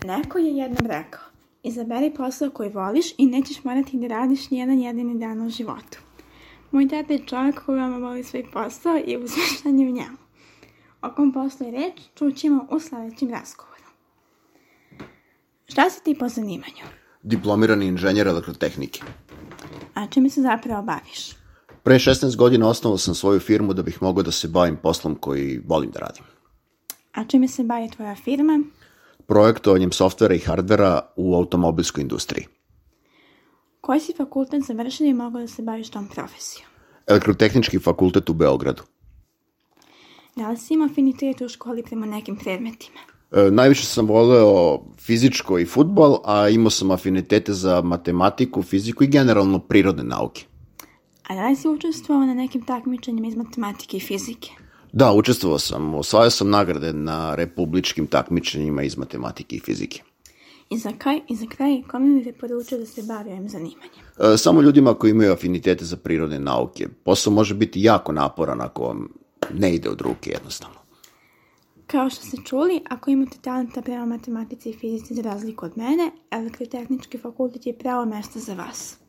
Neko je jednom rekao, izaberi posao koji voliš i nećeš morati da radiš nijedan jedini dan u životu. Moj tata je čovjek koji veoma voli svoj posao i uspješan je u njemu. O kom poslu je reč, čućemo u sljedećem razgovoru. Šta si ti po zanimanju? Diplomirani inženjer elektrotehnike. A čime se zapravo baviš? Pre 16 godina osnovao sam svoju firmu da bih mogao da se bavim poslom koji volim da radim. A čime se bavi tvoja firma? Projektovanjem softvera i hardvera u automobilskoj industriji. Koji si fakultet završio i mogao da se baviš tom profesijom? Elektrotehnički fakultet u Beogradu. Da li si imao afinitet u školi prema nekim predmetima? Najviše sam voleo fizičko i fudbal, a imao sam afinitete za matematiku, fiziku i generalno prirodne nauke. A da li si učestvovao na nekim takmičenjima iz matematike i fizike? Da, učestvovao sam. Osvajao sam nagrade na republičkim takmičenjima iz matematike i fizike. I za kraj, kome bi te poručio da se bavi ovim zanimanjem? Samo ljudima koji imaju afinitete za prirodne nauke. Posao može biti jako naporan ako vam ne ide od ruke jednostavno. Kao što ste čuli, ako imate talenta prema matematici i fizici za razliku od mene, elektrotehnički fakultet je pravo mesto za vas.